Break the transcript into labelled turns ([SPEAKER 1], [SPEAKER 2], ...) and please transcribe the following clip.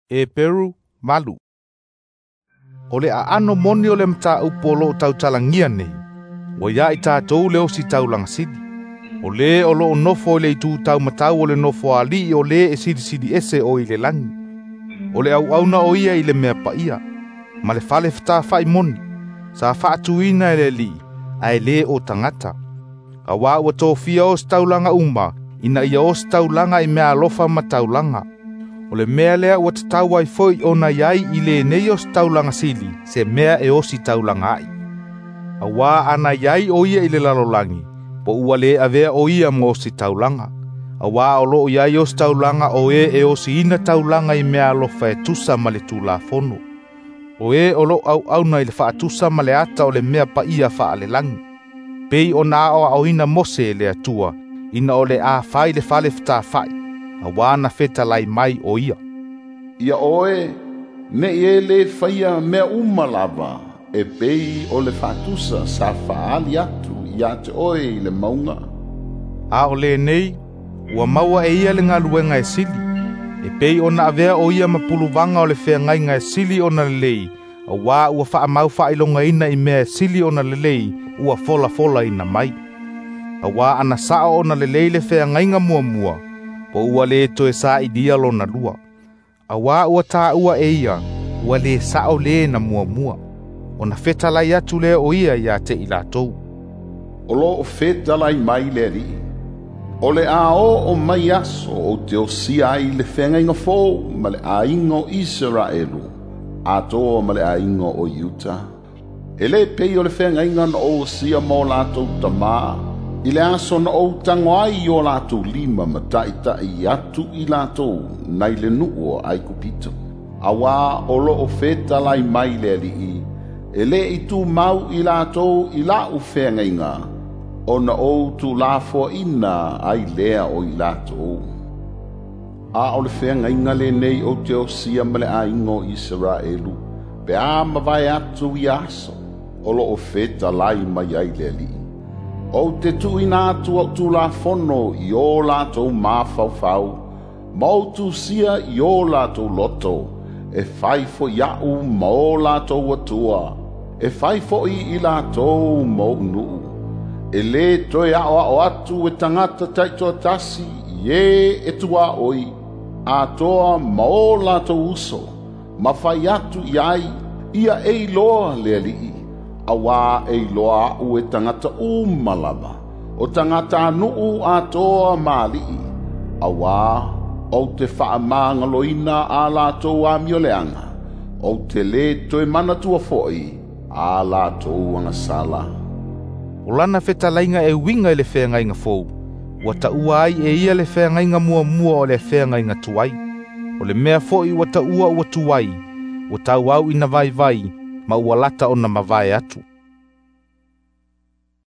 [SPEAKER 1] Heperu 8. O le aano moni o le mataupu o loo tautalagia nei, ua ia i tatou le ositaulaga sili. O le o loo nofo i le itu taumatau o le nofoalii o le e silisili ese o i le lagi. O le auauna o ia i le mea paia, ma le fale fetafa'i moni, sa faatuina e le Alii, ae lē o tagata. Auā ua tofia ositaulaga uma, ina ia ositaulaga i meaalofa ma taulaga. O le mea lea ua tatau ai foi ona iai i lenei ositaulaga sili se mea e ositaulaga ai. Auā ana iai o ia i le lalolagi, po ua lē avea o ia ma ositaulaga. Auā o loo iai ositaulaga o e e osiina taulaga i meaalofa e tusa ma le Tulafono. O e o loo auauna i le faatusa ma le ata o le mea paia faalelagi. Pei ona aoaoina Mose e le Atua, ina o le a fai le fale fetafa'i, auā na fetalai mai o ia.
[SPEAKER 2] Ia oe, nei e lē faia mea uma lava, e pei o le faatusa sa faaali atu ia te oe i le mauga.
[SPEAKER 1] A o lenei, ua maua e ia le galuega e sili, e pei ona avea o ia ma puluvaga o le feagaiga e sili ona lelei, auā ua faamau faailogaina i mea e sili ona lelei ua folafolaina mai. Auā ana sao ona lelei le feagaiga muamua, po ua lē toe sailia lona lua. Auā ua taua e ia, ua lē sao lē na muamua. Ona fetalai atu lea o ia ia te i latou.
[SPEAKER 2] O loo fetalai mai le Alii, o le a oo mai aso ou te osia ai le feagaiga fou ma le aiga o Iseraelu, atoa ma le aiga o Iuta. E lē pei o le feagaiga na ou osia ma o latou tamā, i le aso na ou tago ai i o latou lima ma taʻitaʻi atu i latou nai le nuu o Aikupito. Auā o loo fetalai mai le Alii, e lē i tumau i latou i laʻu feagaiga, ona ou tulafoaʻina ai lea o i latou. A o le feagaiga lenei ou te osia ma le aiga o Iseraelu, pe a mavae atu ia aso, o loo fetalai mai ai le Alii. Ou te tuuina atu au tulafono i o latou mafaufau, ma ou tusia i o latou loto, e fai foi aʻu ma o latou Atua, e fai foi i latou ma oʻu nuu. E lē toe aʻoaʻo atu e tagata taitoatasi i e e tuaʻoi, atoa ma o latou uso, ma fai atu i ai, ia e iloa le Alii, auā e iloa aʻu e tagata uma lava, o tagatanuu atoa ma alii, auā ou te faamagaloina a latou amioleaga, ou te lē toe manatua foi a latou agasala.
[SPEAKER 1] O lana fetalaiga e uiga i le feagaiga fou, ua taua ai e ia le feagaiga muamua o le feagaiga tuai. O le mea foi ua taua ua tuai, ua tauau ina vaivai, ma ua lata ona mavae atu.